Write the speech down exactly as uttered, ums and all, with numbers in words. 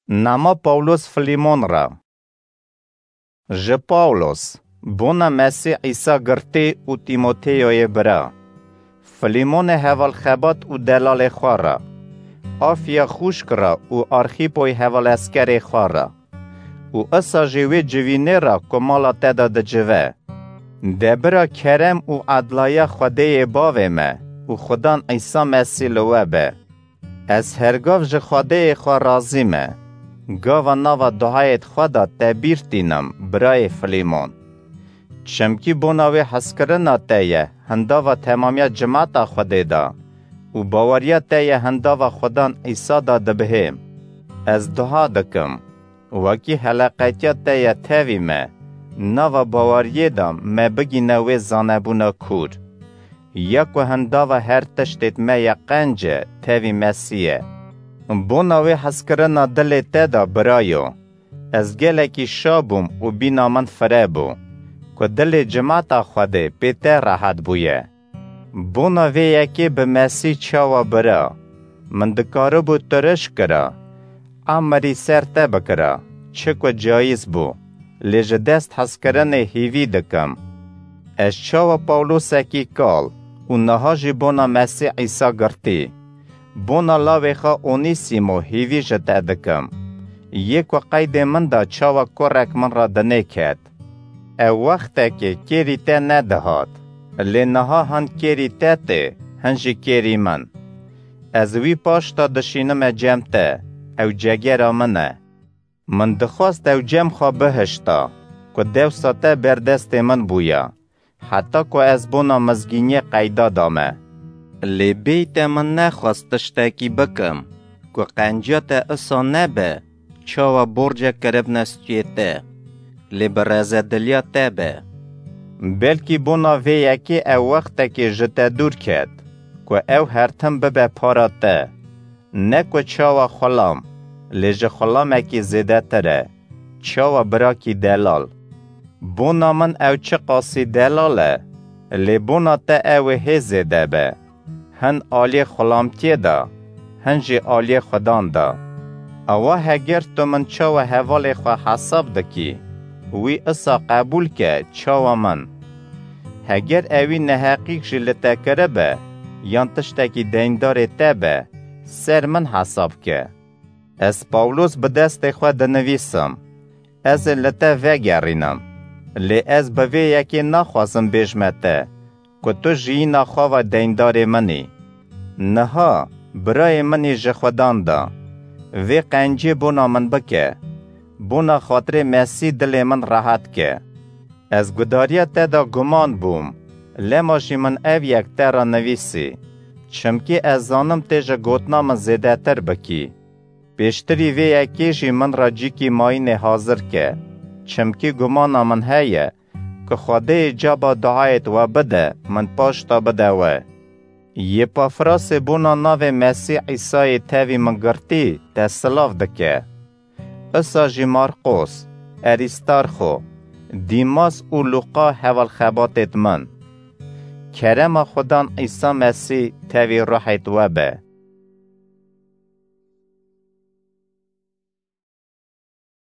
Nama Pawlos Filîmon re. Ji Pawlos, bona Mesîh Îsa girtî û Tîmoteyoyê bira. Filîmonê hevalxebat û delalê xwe re. Afya xûşk re û Arxîpoy hevaleskerê xwe re. Û isa jî wê civînê re ku mala te de dicive. De bira kerem û edlaya Xwedêyê Bavê me û Xudan Îsa Mesîh li we be. Ez hergav ji Xwedêyê xwe razî me. Gava nava duayêt xwe de te bîr tînim, birayê Filîmon. Çimkî bona wê hezkirina te ye hindava temamiya cimata Xwedê de û baweriya te ye hindava Xudan Îsa de dibihêm. Ez dua dikim, wekî heleqetiya te ye tevî me, nava baweriyê de me bigîne wê zanebûna kûr. Ya ku hindava her tiştêt me ye qenc e tevî Mesîh e. Bona wê hezkirina dilê te de birayo. Ez gelekî şa bûm û bîna min fire bû, ku dilê cimata Xwedê pê te rehet bûye. Bona vê yekê bi Mesîh çawa bira, min dikaribû tu riş kira, emirî ser te bikira, çi ku cayîz bû, lê ji dest hezkirinê hîvî dikim. Ez çawa Pawlosekî kal û niha jî bona Mesîh Îsa girtî, bona lawê xwe Onîsîmo hîvî ji te dikim. Yê ku qeydê min de çawa kurek min re dinê ket. Ew wextekê kêrî te nedihat, lê niha hin kêrî te tê, hin jî kêrî min. Ez wî paş de dişînime cem te, ew cegera min e. Min dixwest ew cem xwe bihişta, ku dewsa te ber destê min bûya, heta ku ez bona mizgîniyê qeyda dame. Lê bêyî te min nexwest tiştekî bikim, ku qenciya te isa nebe, çawa borcek kiribne stûyê te, lê bi rezediliya te be. Belkî bona vê yekê ew wextekê ji te dûr ket, ku ew her tim bibe para te. Ne ku çawa xulam, lê ji xulamekî zêdetir e, çawa birakî delal. Bona min ew çiqasî delal e, lê bona te ew ê hê zêde be. Hin aliyê xulamtiyê de, hin jî aliyê Xudan de. Ewa heger tu min çawa hevalê xwe hesab dikî, wî isa qebûl ke çawa min. Heger ewî neheqîk jî li te kiribe, yan tiştekî deyndarê te be, ser min hesab ke. Ez Pawlos bi destê xwe dinivîsim, ez ê li te vegerînim, lê ez bi vê yekê naxwazim bêjme te, ku tu jiyîna xwe ve deyndarê min î. Niha, birayê min î ji Xudan de, vê qenciyê bona min bike, bona xatirê Mesîh dilê min rehet ke. Ez gudariya te de guman bûm, lema jî min ev yek te re nivîsî, çimkî ez zanim tê ji gotina min zêdetir bikî. Pêştirî vê yekê jî min re cîkî mayînê hazir ke, çimkî gumana min heye ku Xwedê yê caba duayêt we bide, min paşta bide we. Yê Pafrasê bona navê Mesîh Îsayê tevî min girtî te silav dike. Isa jî Marqos, Erîstarxo, Dîmas û Luqa hevalxebatêt min. Kerema Xudan Îsa Mesîh tevî ruhêt we be.